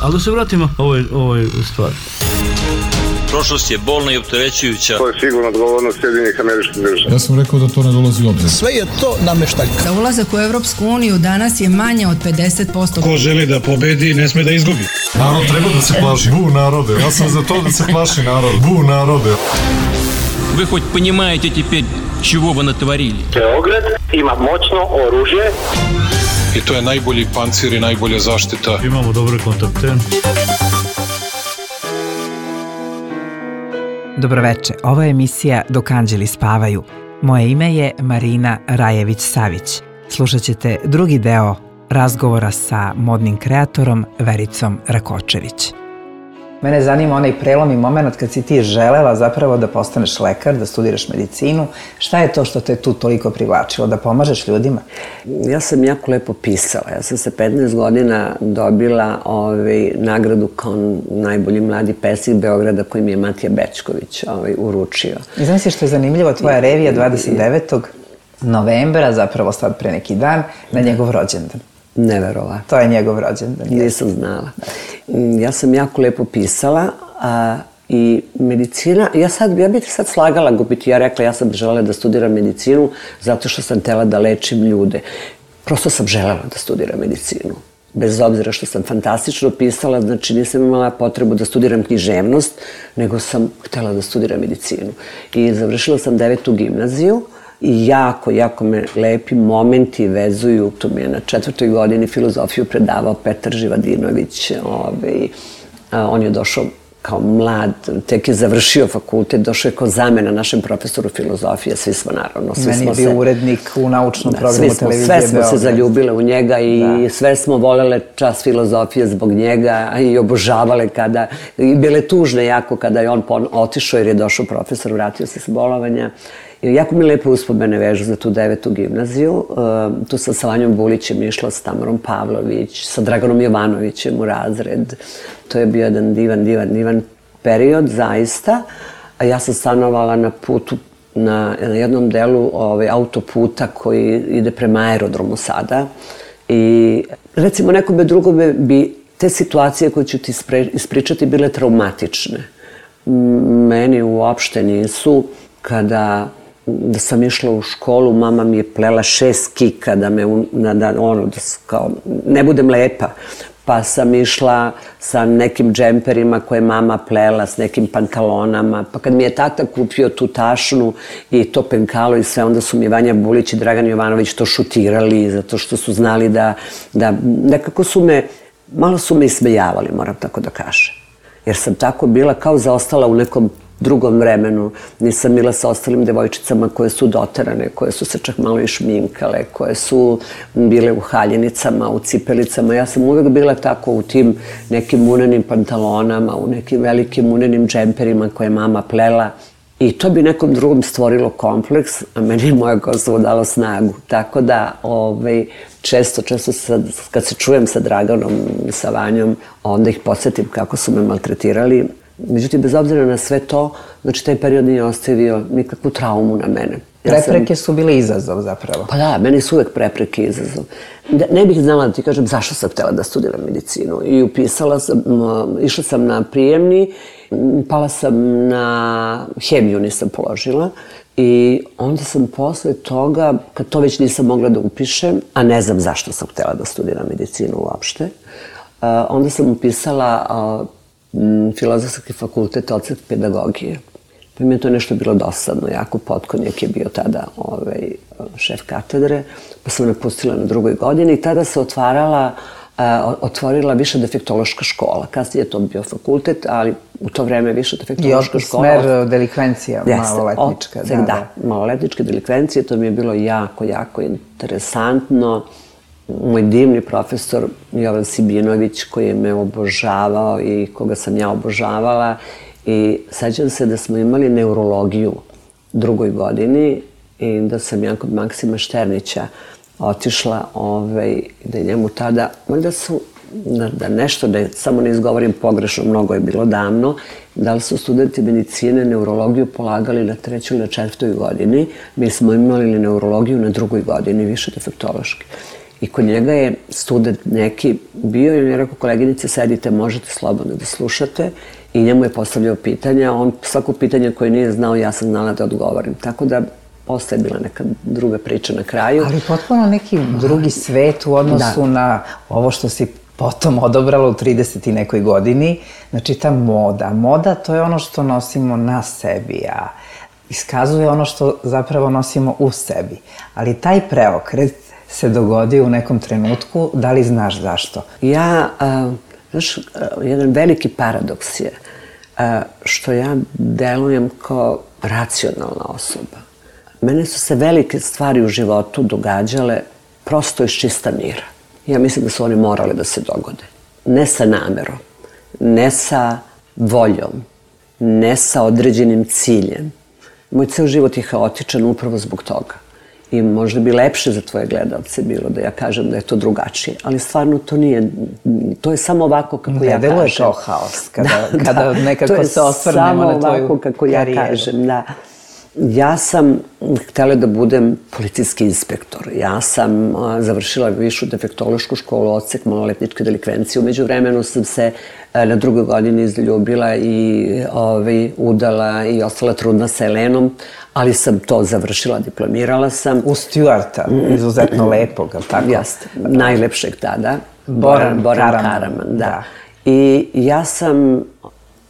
Ali da se vratimo ovoj stvari. Prošlost je bolna i opterećujuća. To je sigurno odgovornost Sjedinjenih Američkih Država. Ja sam rekao da to ne dolazi u obzir. Sve je to nameštaljka. Za ulazak u Evropsku uniju danas je manje od 50%. Ko želi da pobedi, ne sme da izgubi. Narod treba da se plaši. Bu narode. Ja sam za to da se plaši narod. Bu narode. Вы хоть понимаете теперь, чего вы натворили? Beograd ima moćno oružje. I to je najbolji pancir i najbolja zaštita. Imamo dobre kontakte. Dobroveče, ovo je emisija Dok anđeli spavaju. Moje ime je Marina Rajević-Savić. Slušat ćete drugi deo razgovora sa modnim kreatorom Vericom Rakočević. Mene zanima onaj prelomni moment kad si ti želela zapravo da postaneš lekar, da studiraš medicinu. Šta je to što te tu toliko privlačilo, da pomažeš ljudima? Ja sam jako lepo pisala. Ja sam sa 15 godina dobila nagradu kao najbolji mladi pesnik Beograda koji mi je Matija Bećković uručio. I znam si što je zanimljivo, tvoja revija 29. novembra, zapravo sad pre neki dan, na njegov rođendan. Neverovatno. To je njegov rođendan. Nisam znala. Ja sam jako lepo pisala i medicina, ja bih sad slagala, ja rekla ja sam želela da studiram medicinu zato što sam htela da lečim ljude. Prosto sam želela da studiram medicinu. Bez obzira što sam fantastično pisala, znači nisam imala potrebu da studiram književnost, nego sam htela da studiram medicinu. I završila sam 9. gimnaziju. I jako me lepi momenti vezuju. Tu mi je na 4. godini filozofiju predavao Petar Živadinović. On je došao kao mlad, tek je završio fakultet, došao je kao zamena našem profesoru filozofije. Svi smo naravno. Meni je bio urednik u naučnom programu televizije Beograd. Sve smo se zaljubile u njega i sve smo volele čas filozofije zbog njega i obožavale kada, i bile tužne jako kada je on otišao jer je došao profesor, vratio se s bolovanja. Jako mi lepo uspomene vežu za tu 9. gimnaziju. Tu sam sa Vanjom Bulićem išla, s Tamarom Pavlović, sa Draganom Jovanovićem u razred. To je bio jedan divan period, zaista. A ja sam stanovala na putu, na jednom delu autoputa koji ide prema aerodromu sada. I recimo nekome drugome bi te situacije koje ću ti ispričati bile traumatične. Meni uopšte nisu. Kada sam išla u školu, mama mi je plela 6 kika da ne budem lepa. Pa sam išla sa nekim džemperima koje mama plela, s nekim pantalonama. Pa kad mi je tata kupio tu tašnu i to penkalo i sve, onda su mi Vanja Bulić i Dragan Jovanović to šutirali, zato što su znali da nekako malo su me ismejavali, moram tako da kažem. Jer sam tako bila kao zaostala u nekom drugom vremenu. Nisam bila sa ostalim devojčicama koje su doterane, koje su se čak malo i šminkale, koje su bile u haljenicama, u cipelicama. Ja sam uvek bila tako u tim nekim unenim pantalonama, u nekim velikim unenim džemperima koje je mama plela. I to bi nekom drugom stvorilo kompleks, a meni je moja Kosovo dalo snagu. Tako da često kad se čujem sa Draganom i sa Vanjom, onda ih podsjetim kako su me maltretirali. Međutim, bez obzira na sve to, znači taj period nije ostavio nikakvu traumu na mene. Prepreke su bile izazov zapravo. Pa da, meni su uvek prepreke izazov. Ne bih znala da ti kažem zašto sam htjela da studiram medicinu. I išla sam na prijemni, pala sam na hemiju, nisam položila. I onda sam posle toga, kad to već nisam mogla da upišem, a ne znam zašto sam htjela da studiram medicinu uopšte, onda sam upisala Filozofski fakultet, odsek pedagogije. Pa mi je to nešto bilo dosadno, jako Potkonjak je bio tada šef katedre, pa sam napustila na 2. godini i tada se otvorila više defektološka škola. Kasnije je to bio fakultet, ali u to vreme više defektološka škola. I smer delikvencija, maloletnička. Da, maloletničke delikvencije, to mi je bilo jako interesantno. Moj divni profesor Jovan Sibinović koji me obožavao i koga sam ja obožavala. I sećam se da smo imali neurologiju u 2. godini i da sam ja kod Maksima Šternića otišla da je njemu tada, valjda su, da nešto, da samo ne izgovorim pogrešno, mnogo je bilo davno, da li su studenti medicine neurologiju polagali na 3. ili na 4. godini. Mi smo imali neurologiju na 2. godini, više defektološki. I kod njega je student neki bio i on je rekao, koleginice, sedite, možete slobodno da slušate. I njemu je postavljao pitanja, on svako pitanje koje nije znao, ja sam znala da odgovorim. Tako da postaje bila neka druga priča na kraju. Ali potpuno neki drugi svet u odnosu na ovo što si potom odobrala u 30 i nekoj godini. Znači ta moda. Moda to je ono što nosimo na sebi, a iskazuje ono što zapravo nosimo u sebi. Ali taj preokret se dogodio u nekom trenutku, da li znaš zašto? Znaš, jedan veliki paradoks je što ja delujem kao racionalna osoba. Mene su se velike stvari u životu događale prosto iz čista mira. Ja mislim da su one morale da se dogode. Ne sa namerom, ne sa voljom, ne sa određenim ciljem. Moj ceo život je haotičan upravo zbog toga. I možda bi lepše za tvoje gledalce bilo da ja kažem da je to drugačije, ali stvarno to nije, to je samo ovako kako ja kažem. Ne deluje kao haos, kada nekako se osvrnemo na tvoju karijeru. To je samo ovako kako ja kažem, da. Ja sam htjela da budem policijski inspektor. Ja sam završila višu defektološku školu, odsek maloletničke delikvencije. Umeđu vremenu sam se na drugoj godini izljubila i udala i ostala trudna sa Elenom, ali sam to završila, diplomirala sam. U Stuarta, izuzetno lepog, ali tako? Jeste, najlepšeg tada. Boran Karaman, da. I ja sam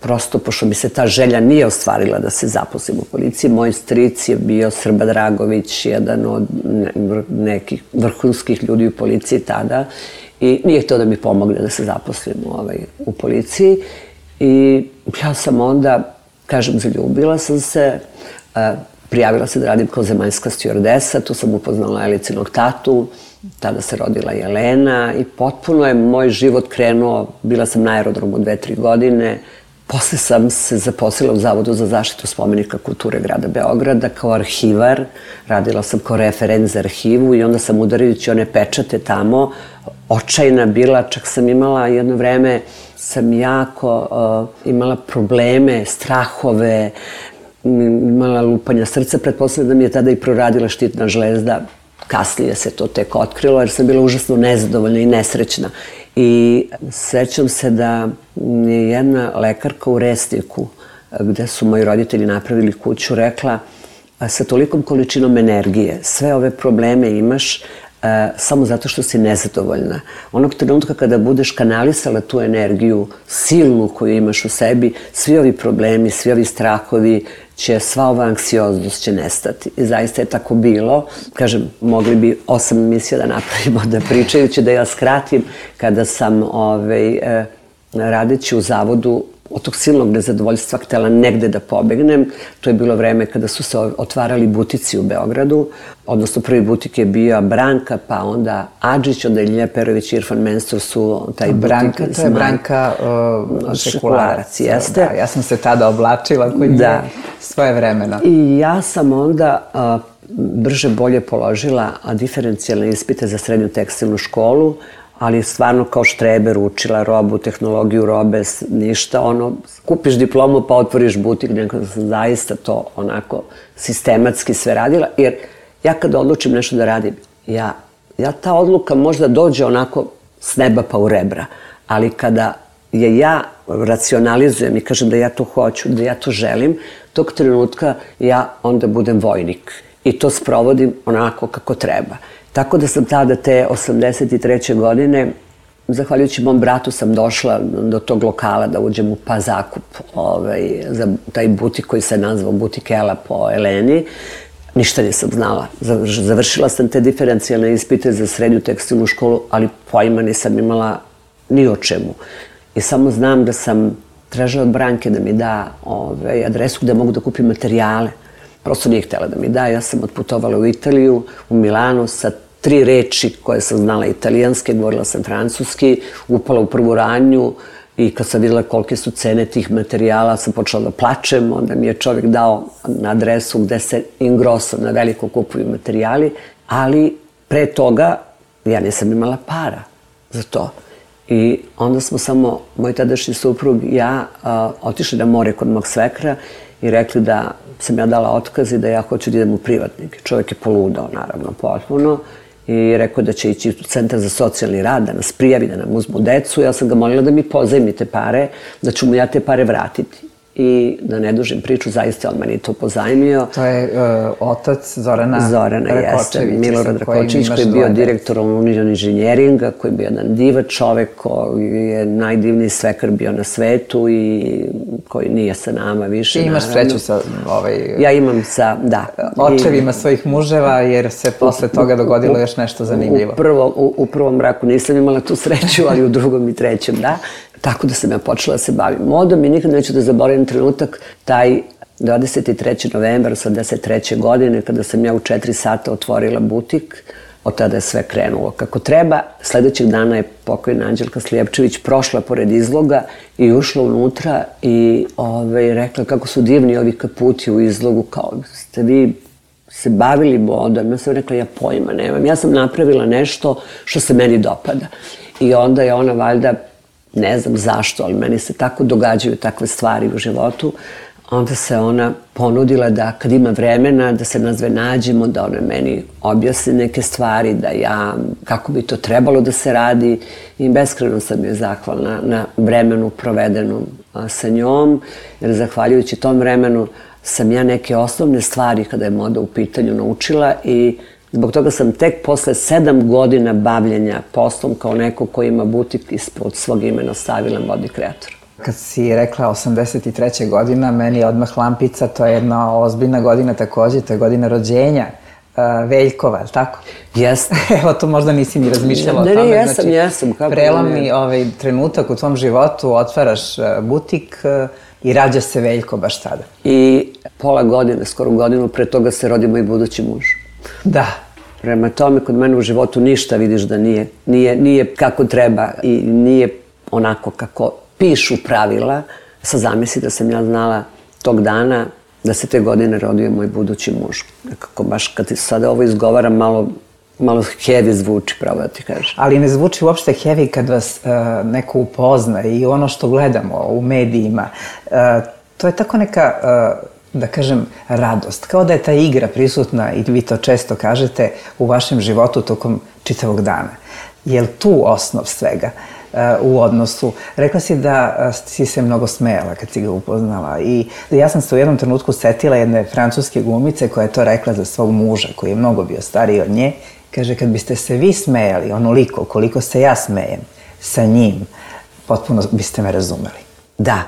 prosto, pošto mi se ta želja nije ostvarila da se zaposlim u policiji, moj stric je bio Srba Dragović, jedan od nekih vrhunskih ljudi u policiji tada i nije htio da mi pomogne da se zaposlim u policiji. I ja sam onda, kažem, zaljubila sam se, prijavila se da radim kao zemaljska stjuardesa, tu sam upoznala Elicinog tatu, tada se rodila Jelena i potpuno je moj život krenuo, bila sam na aerodromu 2-3 godine. Posle sam se zaposlila u Zavodu za zaštitu spomenika kulture grada Beograda kao arhivar. Radila sam kao referent za arhivu i onda sam, udarajući one pečate tamo, očajna bila. Čak sam imala jedno vreme, sam jako imala probleme, strahove, imala lupanja srca. Pretpostavljam da mi je tada i proradila štitna žlezda. Kasnije se to tek otkrilo jer sam bila užasno nezadovoljna i nesrećna. I sećam se da je jedna lekarka u Resniku, gde su moji roditelji napravili kuću, rekla sa tolikom količinom energije, sve ove probleme imaš samo zato što si nezadovoljna. Onog trenutka kada budeš kanalisala tu energiju silnu koju imaš u sebi, svi ovi problemi, svi ovi strahovi sva ova anksioznost će nestati. I zaista je tako bilo. Kažem, mogli bi 8 emisija da napravimo, da pričajući, da ja skratim, kada sam radeći u zavodu od tog silnog nezadovoljstva htjela negde da pobegnem. To je bilo vreme kada su se otvarali butici u Beogradu, odnosno prvi butik je bio Branka, pa onda Adžić, onda Ilija Perović i Irfan Mensur su taj butik. Branka, to je Branka Šekularac, jeste. Da, ja sam se tada oblačila kod nje svoje vremena. I ja sam onda brže bolje položila diferencijalne ispite za srednju tekstilnu školu, ali stvarno kao štreber učila robu, tehnologiju robe, ništa, kupiš diplomu pa otvoriš butik, neko da sam zaista to onako sistematski sve radila, jer ja kada odlučim nešto da radim, ta odluka možda dođe onako s neba pa u rebra, ali kada je ja racionalizujem i kažem da ja to hoću, da ja to želim, tog trenutka ja onda budem vojnik i to sprovodim onako kako treba. Tako da sam tada te 83. godine, zahvaljujući mom bratu, sam došla do tog lokala da uđem u zakup za taj butik koji se nazvao Butik Ela po Eleni. Ništa nisam znala. Završila sam te diferencijalne ispite za srednju tekstilnu školu, ali pojma nisam imala ni o čemu. I samo znam da sam tražila od Branke da mi da adresu gde mogu da kupim materijale. Prosto nije htjela da mi da. Ja sam otputovala u Italiju, u Milano sa 3 reči koje sam znala italijanske, govorila sam francuski, upala u prvu ranju i kad sam videla kolike su cene tih materijala, sam počela da plačem, onda mi je čovjek dao na adresu gde se in grosso na veliko kupuju materijali, ali pre toga ja nisam imala para za to. I onda smo samo, moj tadašnji suprug i ja, otišli na more kod mog svekra i rekli da sam ja dala otkaz i da ja hoću da idem u privatnik. Čovjek je poludao, naravno, potpuno. i rekao da će ići u centar za socijalni rad, da nas prijavi, da nam uzmu decu. Ja sam ga molila da mi pozajmi te pare, da ću mu ja te pare vratiti. I da ne dužim priču, zaista on meni to pozajmio. To je otac Zorana Rakočevića. Milorad Rakočević, koji je bio direktor Union Inženjeringa, koji je bio jedan divan čovek, koji je najdivniji svekar bio na svetu i koji nije sa nama više. Ti imaš sreću sa ja imam sa, da. Očevima svojih muževa, jer se posle toga dogodilo još nešto zanimljivo. U prvom braku nisam imala tu sreću, ali u drugom i trećem, da. Tako da sam ja počela da se bavim modom i nikad neću da zaboravim trenutak, taj 23. novembar 1983. godine, kada sam ja u 4 sata otvorila butik. Od tada je sve krenulo kako treba. Sledećeg dana je pokojna Anđelka Slijepčević prošla pored izloga i ušla unutra i rekla kako su divni ovi kaputi u izlogu, kao ste vi se bavili modom. Ja sam rekla, ja pojma nemam. Ja sam napravila nešto što se meni dopada. I onda je ona valjda, ne znam zašto, ali meni se tako događaju takve stvari u životu. Onda se ona ponudila da kad ima vremena, da se nas dve nađemo, da ona meni objasni neke stvari, da ja, kako bi to trebalo da se radi. I beskrajno sam joj zahvalna na vremenu provedenom sa njom, jer zahvaljujući tom vremenu sam ja neke osnovne stvari kada je moda u pitanju naučila i zbog toga sam tek posle 7 godina bavljenja poslom kao neko ko ima butik ispod svog imena stavila modni kreator. Kad si rekla 83. godina, meni je odmah lampica, to je jedna ozbiljna godina takođe, to je godina rođenja Veljkova, je li tako? Jeste. Evo, to možda nisi ni razmišljala o tome. Ne, jesam. Prelamni trenutak u tvom životu, otvaraš butik i rađa se Veljko baš tada. I pola godine, skoro godinu, pre toga se rodi moj budući muž. Da. Prema tome, kod mene u životu ništa vidiš da nije kako treba i nije onako kako pišu pravila. Sad zamisli da sam ja znala tog dana da se te godine rodio moj budući muž. Nekako baš kad ti sada ovo izgovaram malo heavy zvuči, pravo da ti kažem. Ali ne zvuči uopšte heavy kad vas neko upozna i ono što gledamo u medijima. To je tako neka, da kažem, radost. Kao da je ta igra prisutna, i vi to često kažete, u vašem životu tokom čitavog dana. Je li tu osnov svega u odnosu? Rekla si da si se mnogo smejala kad si ga upoznala i ja sam se u jednom trenutku setila jedne francuske glumice koja je to rekla za svog muža, koji je mnogo bio stariji od nje. Kaže, kad biste se vi smejali onoliko koliko se ja smejem sa njim, potpuno biste me razumeli. Da.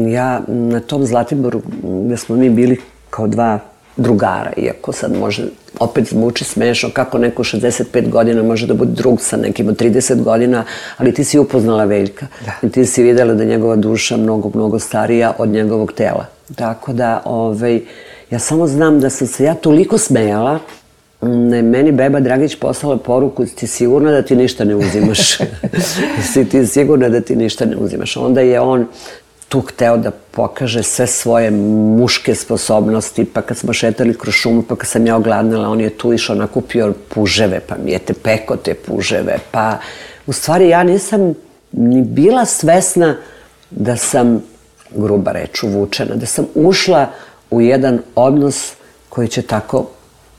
Ja na tom Zlatiboru gde smo mi bili kao dva drugara, iako sad može, opet zvuči smešno kako neko 65 godina može da bude drug sa nekim od 30 godina, ali ti si upoznala Veljka. I ti si videla da je njegova duša mnogo starija od njegovog tela. Tako da, ja samo znam da sam se ja toliko smejala, meni beba Dragić poslala poruku, ti sigurna da ti ništa ne uzimaš? Si ti sigurna da ti ništa ne uzimaš? Onda je on tu hteo da pokaže sve svoje muške sposobnosti, pa kad smo šetali kroz šumu, pa kad sam ja ogladnila, on je tu išao, nakupio puževe, pa mi je peko te puževe, pa u stvari ja nisam ni bila svesna da sam, gruba reč, uvučena, da sam ušla u jedan odnos koji će tako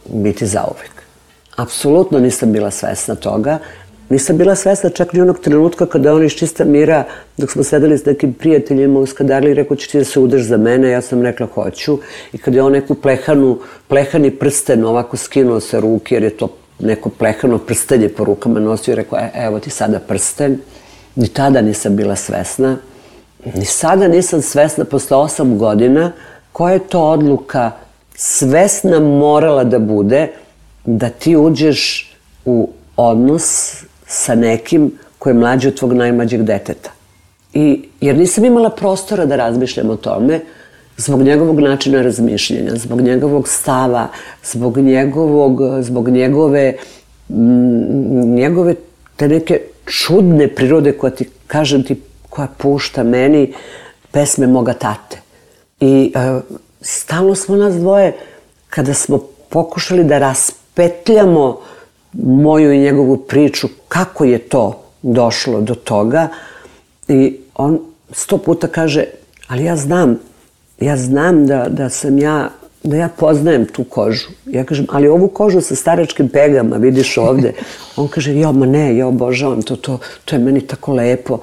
biti zauvek. Apsolutno nisam bila svesna toga. Nisam bila svesna čak ni onog trenutka kada on iz čista mira, dok smo sedeli s nekim prijateljima u Skadarli, rekao, ćeš ti da se udaš za mene? Ja sam rekla, hoću. I kada je on neku plehani prsten ovako skinuo sa ruke, jer je to neko plehano prstenje po rukama nosio, i rekao, evo ti sada prsten. Ni tada nisam bila svesna. Ni sada nisam svesna, posle 8 godina, koja je to odluka svesna morala da bude da ti uđeš u odnos sa nekim koji je mlađi od tvog najmlađeg deteta. Jer nisam imala prostora da razmišljam o tome, zbog načina razmišljanja, zbog njegovog stava, zbog njegove te neke čudne prirode koja ti, kažem ti, koja pušta meni pesme moga tate. I stalno smo nas dvoje, kada smo pokušali da raspetljamo moju i njegovu priču, kako je to došlo do toga, i on 100 puta kaže, ali ja znam da sam ja da ja poznajem tu kožu. Ja kažem, ali ovu kožu sa staračkim pegama, vidiš ovde. On kaže, ma ne, ja obožavam to, to je meni tako lepo,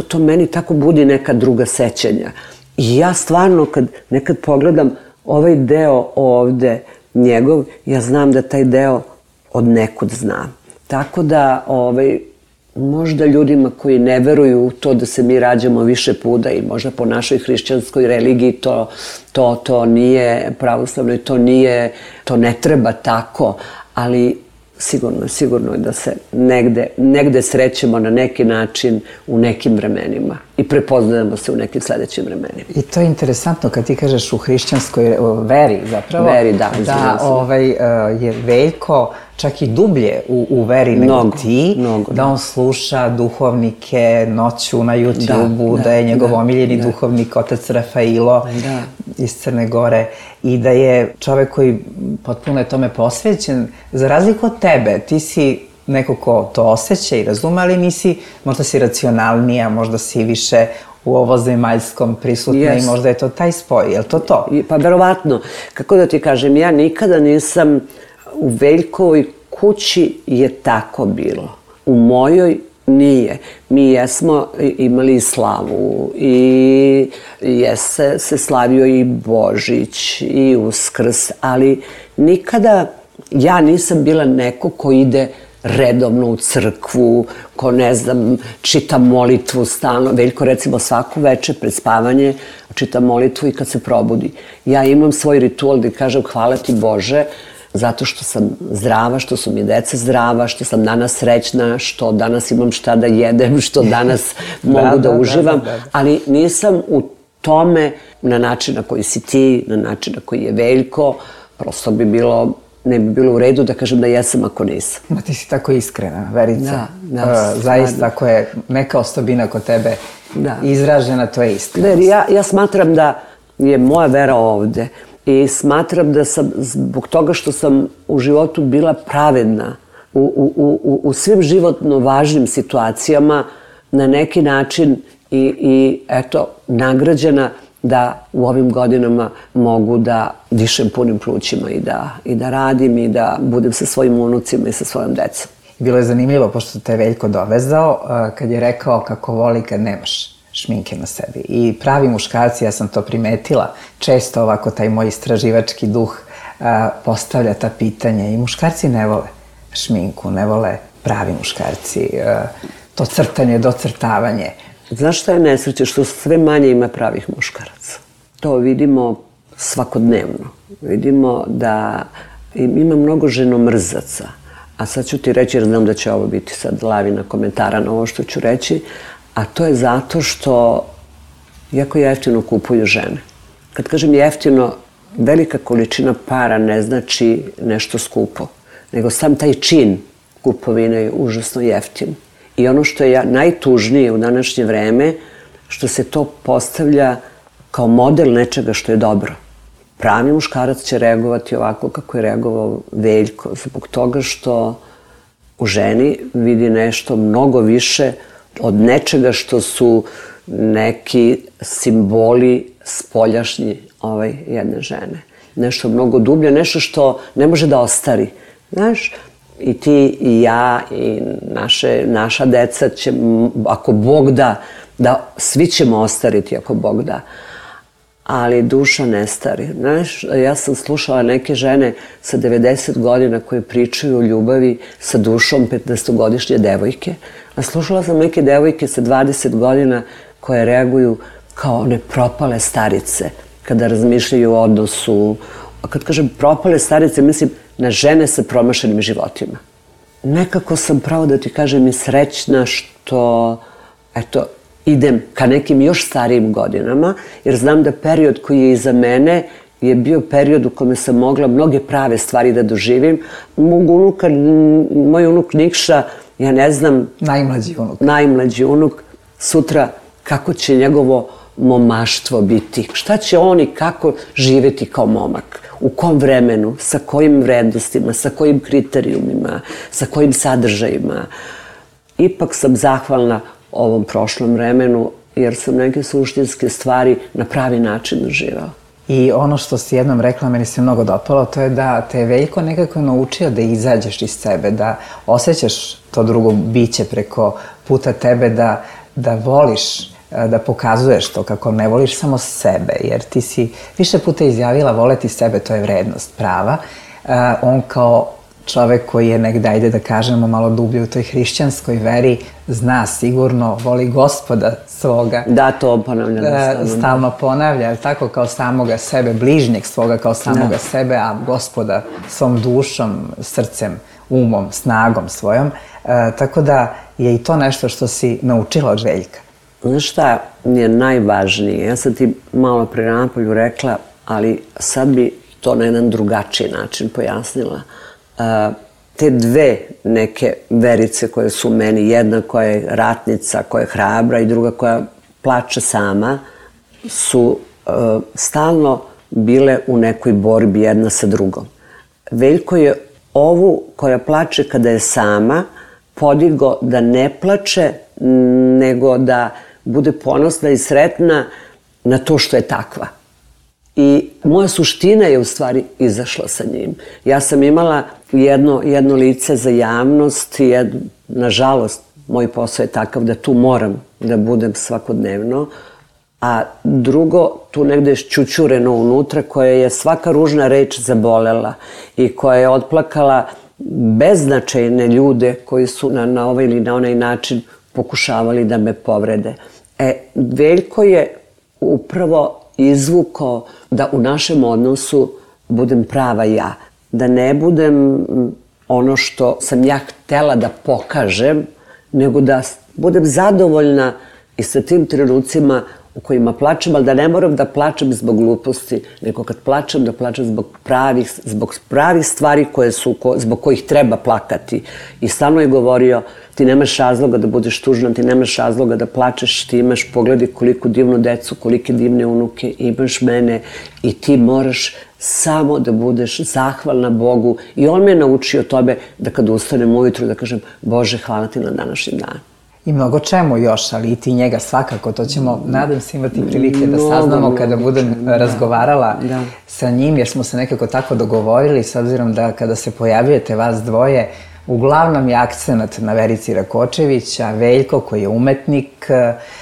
to meni tako budi neka druga sećanja. I ja stvarno, kad nekad pogledam ovaj deo ovde njegov, ja znam da taj deo od nekud znam. Tako da, možda ljudima koji ne veruju u to da se mi rađamo više puta i možda po našoj hrišćanskoj religiji to nije pravoslavno i to ne treba tako, ali sigurno je da se negde srećemo na neki način u nekim vremenima i prepoznajemo se u nekim sledećim vremenima. I to je interesantno kad ti kažeš u hrišćanskoj veri zapravo. Veri, da. Da je Veljko čak i dublje u veri nego ti, da on sluša duhovnike noću na YouTube-u, da je njegov omiljeni duhovnik otac Rafailo iz Crne Gore i da je čovek koji potpuno je tome posvećen. Za razliku od tebe, ti si neko ko to osjeća i razume, ali nisi, možda si racionalnija, možda si više u ovozemaljskom prisutna i možda je to taj spoj, je li to to? Pa verovatno, kako da ti kažem, ja nikada nisam u Veljkovoj kući je tako bilo. U mojoj nije. Mi jesmo imali i slavu i se slavio i Božić i Uskrs, ali nikada ja nisam bila neko ko ide redovno u crkvu, ko ne znam, čita molitvu stalno. Veljko recimo svako večer pred spavanje čita molitvu i kad se probudi. Ja imam svoj ritual gde kažem hvala ti Bože zato što sam zdrava, što su mi deca zdrava, što sam danas srećna, što danas imam šta da jedem, što danas mogu da uživam, ali nisam u tome na način na koji si ti, na način na koji je Veljko, prosto ne bi bilo u redu da kažem da jesam ako nisam. Ma ti si tako iskrena, Verica. Zaista, ako je neka osobina kod tebe izražena, to je iskrenost. Ja smatram da je moja vera ovde i smatram da sam, zbog toga što sam u životu bila pravedna u svim životno važnim situacijama, na neki način i eto, nagrađena da u ovim godinama mogu da dišem punim plućima i da radim i da budem sa svojim unucima i sa svojom decom. Bilo je zanimljivo, pošto te Veljko dovezao, kad je rekao kako voli kad nemaš šminke na sebi. I pravi muškarci, ja sam to primetila, često ovako taj moj istraživački duh postavlja ta pitanja i muškarci ne vole šminku, ne vole pravi muškarci, to crtanje, docrtavanje. Znaš šta je nesreće? Što sve manje ima pravih muškaraca. To vidimo svakodnevno. Vidimo da ima mnogo ženomrzaca. A sad ću ti reći, jer znam da će ovo biti sad lavina komentara na ovo što ću reći, a to je zato što jako jeftino kupuju žene. Kad kažem jeftino, velika količina para ne znači nešto skupo, nego sam taj čin kupovine je užasno jeftin. I ono što je najtužnije u današnje vreme, što se to postavlja kao model nečega što je dobro. Pravi muškarac će reagovati ovako kako je reagovao Veljko, zbog toga što u ženi vidi nešto mnogo više od nečega što su neki simboli spoljašnji jedne žene. Nešto mnogo dublje, nešto što ne može da ostari. Znaš, i ti i ja i naša deca će, ako Bog da svi ćemo ostariti ako Bog da. Ali duša ne stari. Znaš, ja sam slušala neke žene sa 90 godina koje pričaju o ljubavi sa dušom 15-godišnje devojke. A slušala sam neke devojke sa 20 godina koje reaguju kao one propale starice kada razmišljaju o odnosu. A kad kažem propale starice, mislim na žene sa promašenim životima. Nekako sam, pravo da ti kažem, i srećna što, eto, idem ka nekim još starijim godinama, jer znam da period koji je iza mene je bio period u kome sam mogla mnoge prave stvari da doživim. Moj unuk Nikša, ja ne znam... Najmlađi unuk. Sutra kako će njegovo momaštvo biti. Šta će on i kako živeti kao momak? U kom vremenu, sa kojim vrednostima, sa kojim kriterijumima, sa kojim sadržajima. Ipak sam zahvalna ovom prošlom vremenu, jer sam neke suštinske stvari na pravi način doživao. I ono što si jednom rekla, meni se mnogo dopalo, to je da te je Veljko nekako naučio da izađeš iz sebe, da osjećaš to drugo biće preko puta tebe, da voliš, da pokazuješ to kako ne voliš samo sebe, jer ti si više puta izjavila voleti sebe, to je vrednost prava. On kao čovek koji je negde, ajde da kažemo, malo dublje u toj hrišćanskoj veri, zna sigurno, voli Gospoda svoga. Da, to ponavljam. Stalno ponavlja, tako, kao samoga sebe, bližnjeg svoga kao samoga sebe, a Gospoda svom dušom, srcem, umom, snagom svojom. Tako da je i to nešto što si naučila od Veljka. Znaš šta je najvažnije? Ja sam ti malo pre napolju rekla, ali sad bi to na jedan drugačiji način pojasnila. Te dve neke Verice koje su meni, jedna koja je ratnica, koja je hrabra i druga koja plače sama, su stalno bile u nekoj borbi jedna sa drugom. Veljko je ovu koja plače kada je sama podigo da ne plače, nego da bude ponosna i sretna na to što je takva. I moja suština je u stvari izašla sa njim. Ja sam imala jedno lice za javnost i nažalost, moj posao je takav da tu moram da budem svakodnevno, a drugo, tu negde je šćućureno unutra, koje je svaka ružna reč zabolela i koja je otplakala beznačajne ljude koji su na ovaj ili na onaj način pokušavali da me povrede. Veljko je upravo izvukao da u našem odnosu budem prava ja. Da ne budem ono što sam ja htela da pokažem, nego da budem zadovoljna i sa tim trenucima u kojima plačem, ali da ne moram da plačem zbog gluposti, nego kad plačem, da plačem zbog pravih stvari zbog kojih treba plakati. I stalno je govorio, ti nemaš razloga da budeš tužna, ti nemaš razloga da plačeš, ti imaš, pogledaj koliko divnu decu, kolike divne unuke, imaš mene i ti moraš samo da budeš zahvalna Bogu. I on me je naučio tome da kad ustanem ujutru da kažem Bože, hvala ti na današnji dan. I mnogo čemu još, ali i ti njega svakako, to ćemo, nadam se, imati prilike da saznamo kada budem razgovarala sa njim, jer smo se nekako tako dogovorili, s obzirom da kada se pojavljujete vas dvoje, uglavnom je akcenat na Verici Rakočević, a Veljko koji je umetnik,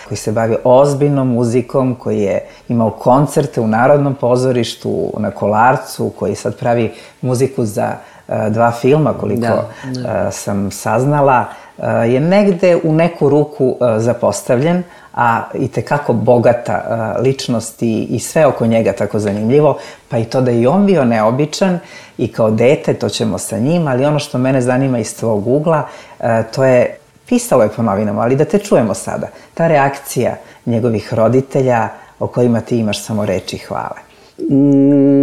koji se bavi ozbiljnom muzikom, koji je imao koncerte u Narodnom pozorištu, na Kolarcu, koji sad pravi muziku za 2 filma, koliko sam saznala, je negde u neku ruku zapostavljen, a i tekako bogata ličnost i sve oko njega tako zanimljivo, pa i to da je on bio neobičan i kao dete, to ćemo sa njim, ali ono što mene zanima iz tvog ugla, to je, pisalo je po novinama, ali da te čujemo sada, ta reakcija njegovih roditelja o kojima ti imaš samo reči hvale.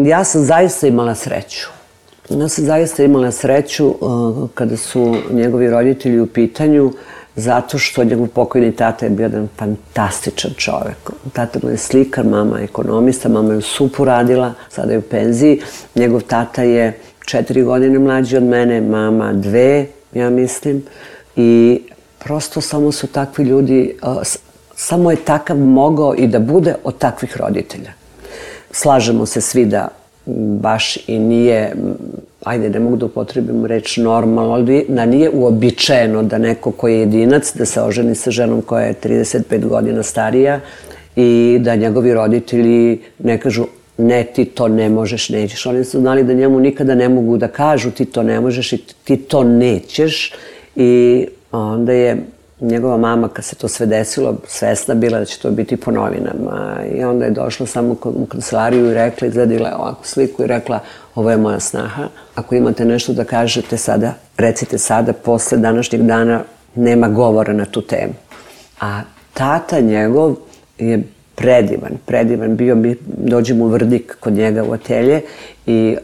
Ja sam zaista imala sreću. Kada su njegovi roditelji u pitanju, zato što njegov pokojni tata je bio jedan fantastičan čovek. Tata mu je slikar, mama je ekonomista, mama je u SUP-u radila, sada je u penziji. Njegov tata je 4 godine mlađi od mene, mama 2, ja mislim. I prosto samo su takvi ljudi, samo je takav mogao i da bude od takvih roditelja. Slažemo se svi da baš i nije, ajde, ne mogu da upotrebim reč normalno, ali da nije uobičajeno da neko koji je jedinac, da se oženi sa ženom koja je 35 godina starija i da njegovi roditelji ne kažu ne, ti to ne možeš, nećeš. Oni su znali da njemu nikada ne mogu da kažu ti to ne možeš i ti to nećeš. I onda je njegova mama, kad se to sve desilo, svesna bila da će to biti po novinama. I onda je došla samo u kancelariju i rekla, izgledala je ovakvu sliku i rekla, ovo je moja snaha. Ako imate nešto da kažete sada, recite sada, posle današnjeg dana nema govora na tu temu. A tata njegov je predivan bio, dođem u Vrdik kod njega u atelje i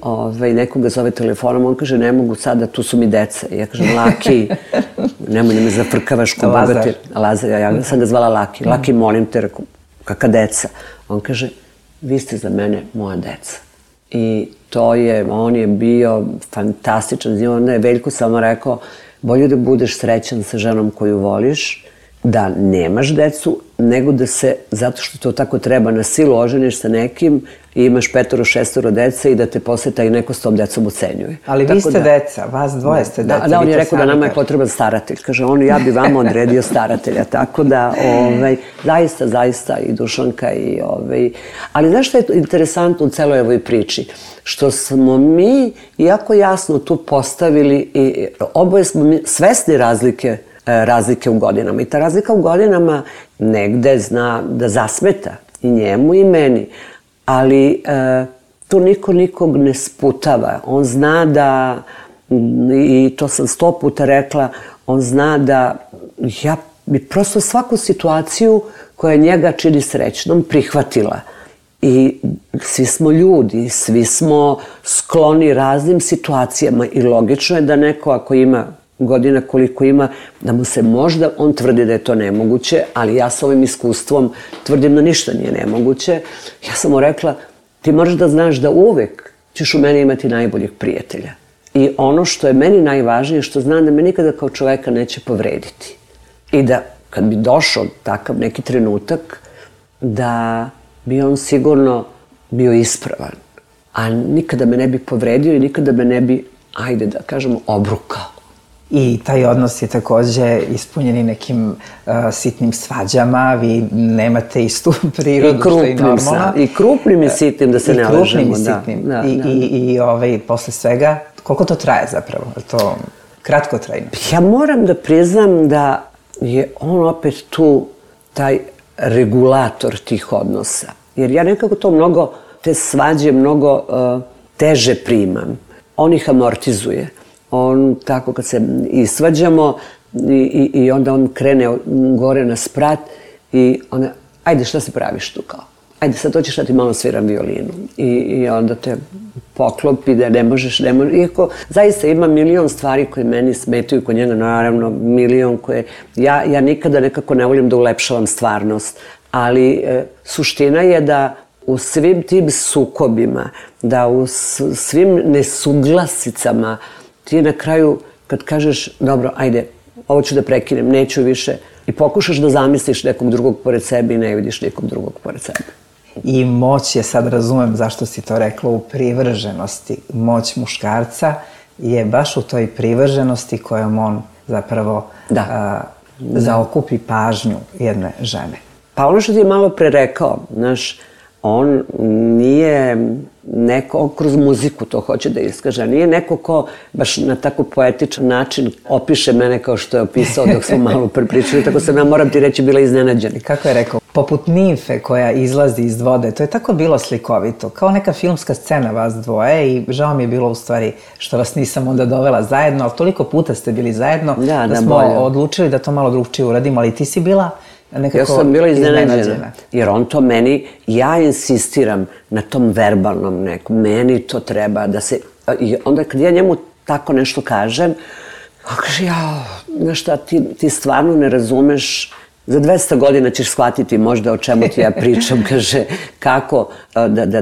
neko ga zove telefonom, on kaže ne mogu sada, tu su mi deca. I ja kažem Laki, nemoj da me zafrkavaš ko bogati. Lazar, ja sam ga zvala Laki. Laki, molim te, rekao, kakva deca? On kaže, vi ste za mene moja deca. I on je bio fantastičan. I onda je Veljko samo rekao, bolje da budeš srećan sa ženom koju voliš, da nemaš decu, nego da se, zato što to tako treba, na silu oženiš sa nekim i imaš 5-6 dece i da te posle taj neko s tom decom ocenjuje. Ali vi ste deca, vas dvoje ste deca. Da, on je rekao da nama je potreban staratelj. Kaže, ja bi vama odredio staratelja. Tako da, zaista i Dušanka i Ali znaš što je interesantno u celoj ovoj priči? Što smo mi jako jasno tu postavili i oboje smo mi svesni razlike u godinama. I ta razlika u godinama negde zna da zasmeta i njemu i meni. Ali tu niko nikog ne sputava. On zna da, i to sam 100 puta rekla, on zna da ja bi prosto svaku situaciju koja njega čini srećnom prihvatila. I svi smo ljudi, svi smo skloni raznim situacijama i logično je da neko ako ima godina koliko ima, da mu se možda, on tvrdi da je to nemoguće, ali ja s ovim iskustvom tvrdim da ništa nije nemoguće. Ja sam mu rekla, ti moraš da znaš da uvek ćeš u meni imati najboljeg prijatelja. I ono što je meni najvažnije, što znam da me nikada kao čoveka neće povrediti. I da kad bi došao takav neki trenutak, da bi on sigurno bio ispravan. A nikada me ne bi povredio i nikada me ne bi, ajde da kažemo, obrukao. I taj odnos je takođe ispunjen i nekim sitnim svađama, vi nemate istu prirodu, što je normalno. I krupnim i sitnim, da se ne lažemo. I krupnim i sitnim. I posle svega, koliko to traje zapravo? Je to kratko trajno? Ja moram da priznam da je on opet tu taj regulator tih odnosa. Jer ja nekako to mnogo, te svađe mnogo teže primam. On ih amortizuje. On tako kad se isvađamo i onda on krene gore na sprat i onda, ajde šta se praviš tu kao? Ajde sad hoćeš da ti malo sviram violinu. I onda te poklopi da ne možeš. Iako zaista ima milion stvari koje meni smetaju kod njega, naravno milion koje... Ja nikada nekako ne volim da ulepšavam stvarnost, ali suština je da u svim tim sukobima, da u svim nesuglasicama ti na kraju, kad kažeš, dobro, ajde, ovo ću da prekinem, neću više, i pokušaš da zamisliš nekog drugog pored sebe i ne vidiš nekog drugog pored sebe. I moć je, sad razumem zašto si to rekla, u privrženosti. Moć muškarca je baš u toj privrženosti kojom on zapravo zaokupi pažnju jedne žene. Pa ono što ti je malo pre rekao, znaš, on nije neko, on kroz muziku to hoće da iskaže, nije neko ko baš na tako poetičan način opiše mene kao što je opisao dok smo malo prepričali, tako sam ja, moram ti reći, bila iznenađena. Kako je rekao? Poput nimfe koja izlazi iz vode, to je tako bilo slikovito, kao neka filmska scena vas dvoje i žao mi je bilo u stvari što vas nisam onda dovela zajedno, ali toliko puta ste bili zajedno da smo odlučili da to malo drugčije uradimo, ali ti si bila nekako iznenađena. Ja sam bila iznenađena, jer on to meni, ja insistiram na tom verbalnom nekom, meni to treba da se, i onda kad ja njemu tako nešto kažem, on kaže, jao, znaš šta, ti stvarno ne razumeš, za 200 godina ćeš shvatiti možda o čemu ti ja pričam, kaže, kako,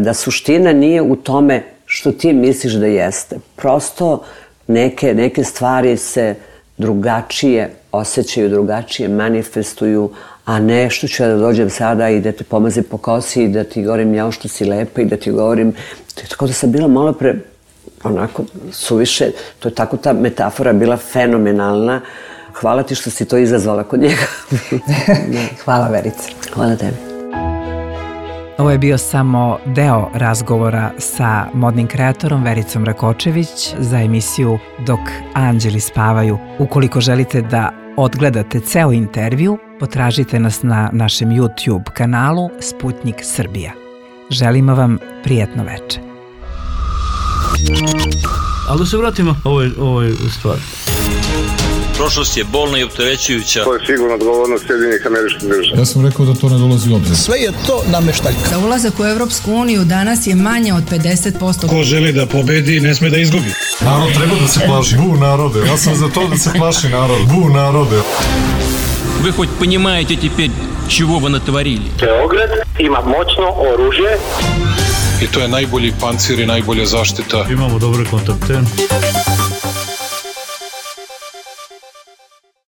da suština nije u tome što ti misliš da jeste. Prosto neke stvari se drugačije osjećaju, drugačije manifestuju, a ne što ću ja da dođem sada i da te pomazim po kosi i da ti govorim jao što si lepa i da ti govorim, tako da sam bila malo pre, onako, suviše, to je tako ta metafora bila fenomenalna. Hvala ti što si to izazvala kod njega. Hvala, Verica. Hvala tebi. Ovo je bio samo deo razgovora sa modnim kreatorom Vericom Rakočević za emisiju Dok anđeli spavaju. Ukoliko želite da odgledate ceo intervju, potražite nas na našem YouTube kanalu Sputnik Srbija. Želimo vam prijatno veče. Ali da se vratimo ovoj stvari. Prošlost je bolna i opterećujuća. To je sigurno odgovornost Sjedinjenih Američkih Država. Ja sam rekao da to ne dolazi u obzir. Sve je to nameštaljka. Za ulazak u Evropsku uniju danas je manje od 50%. Ko želi da pobedi, ne sme da izgubi. Narod treba da se plaši. Bu narode. Ja sam za to da se plaši narod. Bu narode. Вы хоть понимаете теперь, чего вы натворили? Beograd ima moćno oružje. I to je najbolji pancir i najbolja zaštita. Imamo dobre kontakte.